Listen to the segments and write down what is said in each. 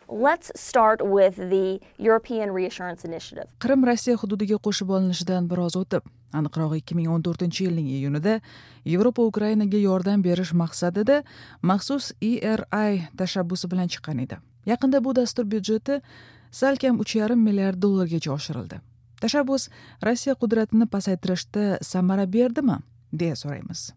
Let's start with the European Reassurance Initiative. Qrim Rossiya hududiga qo'shib olinishidan biroz o'tib, aniqrog'i 2014-yilning iyunida Yevropa Ukrainaga yordam berish maqsadida maxsus ERI tashabbusi bilan chiqqan edi. Yaqinda bu dastur byudjeti salkam 3,5 milliard dollargacha oshirildi. Tashabbus Rossiya qudratini pasaytirishda samara berdimi, deya so'raymiz.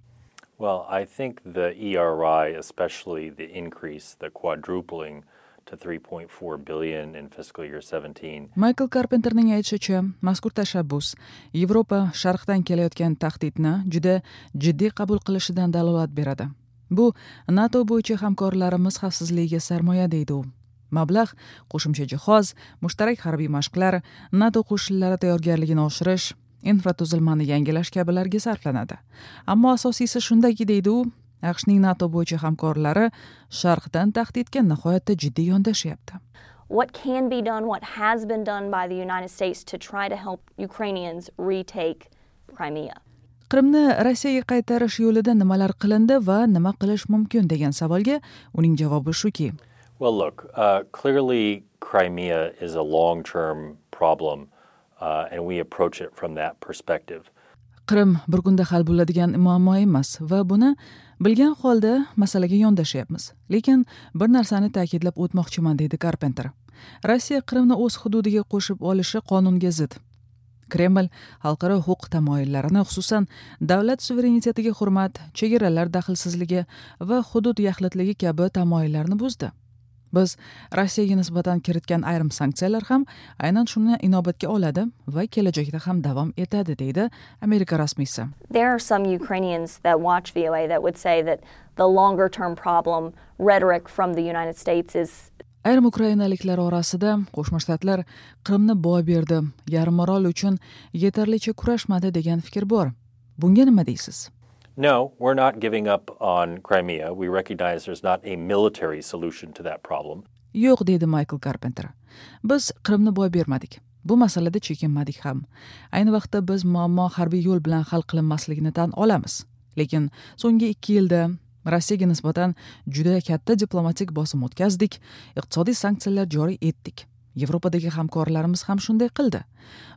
Well, I think the ERI, especially the increase, the quadrupling to 3.4 billion in fiscal year 17. Michael Carpenterning aytishicha, mazkur tashabbus Yevropa sharqdan kelayotgan tahdidni juda jiddiy qabul qilishidan dalolat beradi. Bu NATO bo'yicha hamkorlarimiz xavfsizligiga sarmoya, deydi u. Mablag' qo'shimcha jihoz, mushtarak harbiy mashqlar, NATO qo'shinlari tayyorgarligini oshirish, infratuzilmani yangilash kabilarga sarflanadi. Ammo asosiysi shundaki, deydi u, AQShning NATO bo'yicha hamkorlari sharqdan tahdidga nihoyatda jiddiy yondashyapti. What can be done, what has been done by the United States to try to help Ukrainians retake Crimea? Qrimni Rossiyaga qaytarish yo'lida nimalar qilindi va nima qilish mumkin degan savolga uning javobi shuki: Well, look, clearly Crimea is a long-term problem, and we approach it from that perspective. Qrim bir kunda hal bo'ladigan muammo emas va buni bilgan holda masalaga yondashyapmiz. Lekin bir narsani ta'kidlab o'tmoqchiman, deydi Carpenter. Rossiya Qrimni o'z hududiga qo'shib olishi qonunga zid. Kreml xalqaro huquq tamoyillarini, xususan davlat suverenitetiga hurmat, chegaralar daxlsizligi va hudud yaxlitligi kabi tamoyillarni buzdi. Biz Rossiyaga nisbatan kiritgan ayrim sanksiyalar ham aynan shuni inobatga oladi va kelajakda ham davom etadi, deydi Amerika rasmiysi. There are some Ukrainians that watch VOA that would say that the longer term problem rhetoric from the United States is Ayrim ukrainaliklar orasida Qo'shma Shtatlar Qrimni boy berdi, yarimorol uchun yetarlicha kurashmadi degan fikr bor. Bunga nima deysiz? No, we're not giving up on Crimea. We recognize there's not a military solution to that problem. Yo'q, deydi Michael Carpenter. Biz Qrimni boy bermadik. Bu masalada chekinmadik ham. Ayni vaqtda biz muammo harbiy yo'l bilan hal qilinmasligini tan olamiz. Lekin so'nggi 2 yilda Rossiyaga nisbatan juda katta diplomatik bosim o'tkazdik, iqtisodiy sanksiyalar joriy etdik. Yevropadagi hamkorlarimiz ham shunday qildi.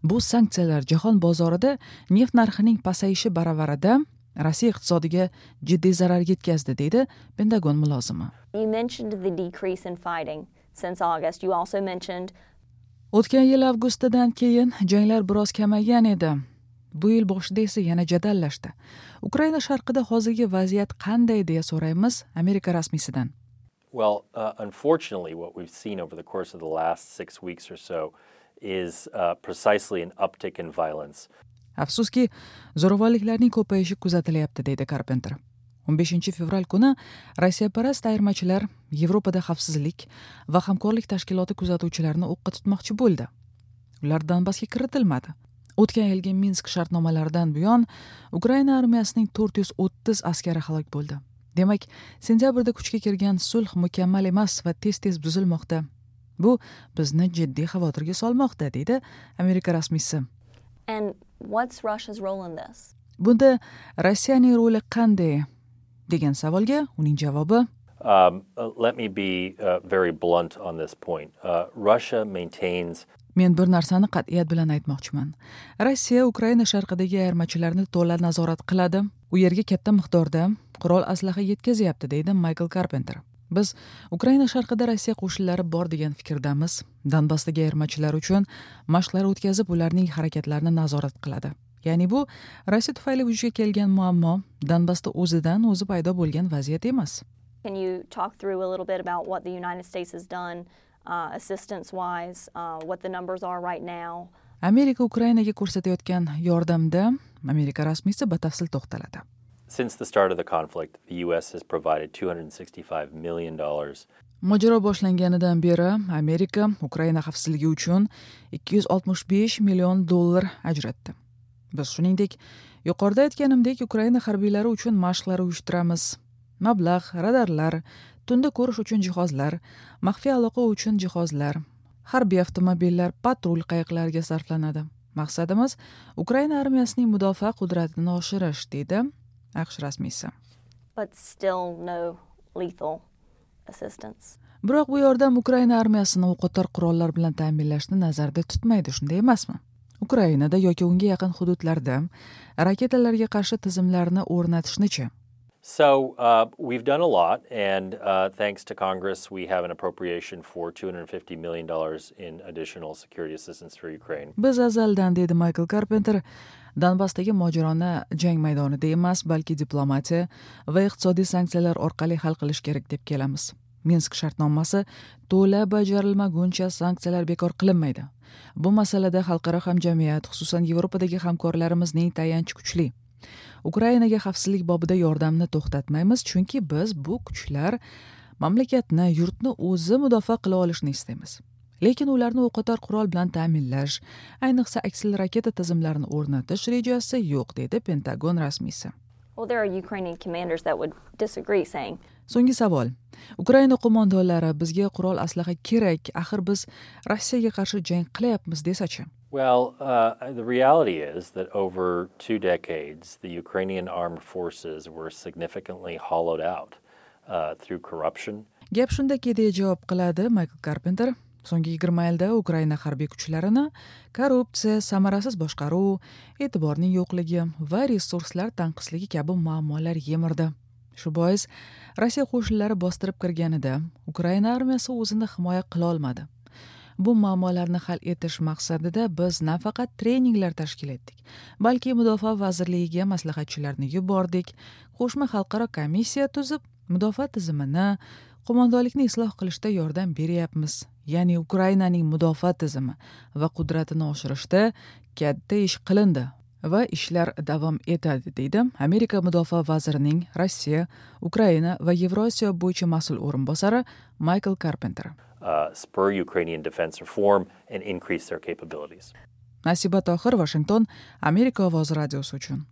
Bu sanksiyalar jahon bozorida neft narxining pasayishi baravarida Rossiya iqtisodiga jiddiy zarar yetkazdi, deydi Pentagon mulozimi. You mentioned the decrease in fighting since August. You also mentioned O'tgan yil avgustidan keyin janglar biroz kamaygan edi. Bu yil boshida esa yana jadallashdi. Ukraina sharqida hozirgi vaziyat qanday, deya so'raymiz Amerika rasmiysidan. Well, unfortunately, what we've seen over the course of the last 6 weeks or so is precisely an uptick in violence. Afsuski, zo'ravonliklarning ko'payishi kuzatilyapti, deydi Carpenter. 15 fevral kuni rossiyaparast ayirmachilar Yevropada xavfsizlik va hamkorlik tashkiloti kuzatuvchilarini o'qqa tutmoqchi bo'ldi. Ular Donbassga kiritilmadi. O'tgan yilgi Minsk shartnomalaridan buyon Ukraina armiyasining 430 askari halok bo'ldi. Demak, sentyabrda kuchga kirgan sulh mukammal emas va tez tez buzilmoqda. Bu bizni jiddiy xavotirga solmoqda, deydi Amerika rasmiysi. And what's Russia's role in this? Bunda Rossiyaning roli qanday degan savolga uning javobi: Let me be very blunt on this point. Russia maintains Men bir narsani qat'iyat bilan aytmoqchiman. Rossiya Ukraina sharqidagi ayirmachilarni to'la nazorat qiladi, u yerga katta miqdorda qurol aslaha yetkazyapti, deydi Maykl Karpenter. Biz Ukraina sharqida Rossiya qo'shinlari bor degan fikrdamiz. Donbassdagi ayirmachilar uchun mashqlar o'tkazib, ularning harakatlarini nazorat qiladi. Ya'ni bu Rossiya tufayli vujudga kelgan muammo, Donbassda o'zidan o'zi paydo bo'lgan vaziyat emas. Can you talk through a little bit about what the United States has done assistance-wise, what the numbers are right now? Amerika Ukrainaga ko'rsatayotgan yordamda Amerika rasmiysi batafsil to'xtaladi. Since the start of the conflict, the U.S. has provided $265 million. Mojaro boshlanganidan beri Amerika Ukraina xavfsizligi uchun 265 million dollar ajratdi. Biz, shuningdek, yuqorida aytganimdek, Ukraina harbiylari uchun mashqlar uyushtiramiz. Mablag' radarlar, tunda ko'rish uchun jihozlar, maxfiy aloqa uchun jihozlar, harbiy avtomobillar, patrul qayiqlariga sarflanadi. Maqsadimiz Ukraina armiyasining mudofaa qudratini oshirish, deydi AQSh rasmiysi. But still no lethal assistance. Biroq bu yordam Ukraina armiyasini o'qotar qurollar bilan ta'minlashni nazarda tutmaydi, shunday emasmi? Ukrainada yoki unga yaqin hududlarda raketalarga qarshi tizimlarni o'rnatishni-chi? So we've done a lot, and thanks to Congress, we have an appropriation for $250 million in additional security assistance for Ukraine. Biz azaldan, deydi Maykl Karpenter, Donbassdagi mojaroni jang maydonida emas, balki diplomatiya va iqtisodiy sanksiyalar orqali hal qilish kerak deb kelamiz. Minsk shartnomasi to'la bajarilmaguncha sanksiyalar bekor qilinmaydi. Bu masalada xalqaro hamjamiyat, xususan Yevropadagi hamkorlarimizning tayanchi kuchli. Ukrainaga xavfsizlik bobida yordamni to'xtatmaymiz, chunki biz bu kuchlar mamlakatni, yurtni o'zi mudofaa qila olishini istaymiz. Lekin ularni o'qotar qurol bilan ta'minlash, ayniqsa aksil raketa tizimlarini o'rnatish rejasi yo'q, deydi Pentagon rasmiysi. Well, there are Ukrainian commanders that would disagree, saying, So'nggi savol. Ukraina qo'mondonlari bizga qurol aslaha kerak, axir biz Rossiyaga qarshi jang qilyapmiz desachi? Well, the reality is that over 2 decades, the Ukrainian armed forces were significantly hollowed out through corruption. Gap shundaki, deya javob qiladi Maykl Karpenter. So'nggi 20 yilda Ukraina harbiy kuchlarini korrupsiya, samarasiz boshqaruv, e'tiborning yo'qligi va resurslar tanqisligi kabi muammolar yemirdi. Shu bois Rossiya qo'shinlari bostirib kirganida Ukraina armiyasi o'zini himoya qila olmadi. Bu muammolarni hal etish maqsadida biz nafaqat treninglar tashkil etdik, balki Mudofaa vazirligiga maslahatchilarni yubordik, qo'shma xalqaro komissiya tuzib, mudofaa tizimini, qo'mondonlikni isloh qilishda yordam beryapmiz. Ya'ni Ukrainaning mudofaa tizimi va qudratini oshirishda katta ish qilindi va ishlar davom etadi, deydi Amerika mudofaa vazirining Rossiya, Ukraina va Yevrosiyo bo'yicha mas'ul o'rinbosari Maykl Karpenter. Spur Ukrainian defense reform and increase their capabilities. Nasiba Tohir, Washington, Amerika ovozi radiosi uchun.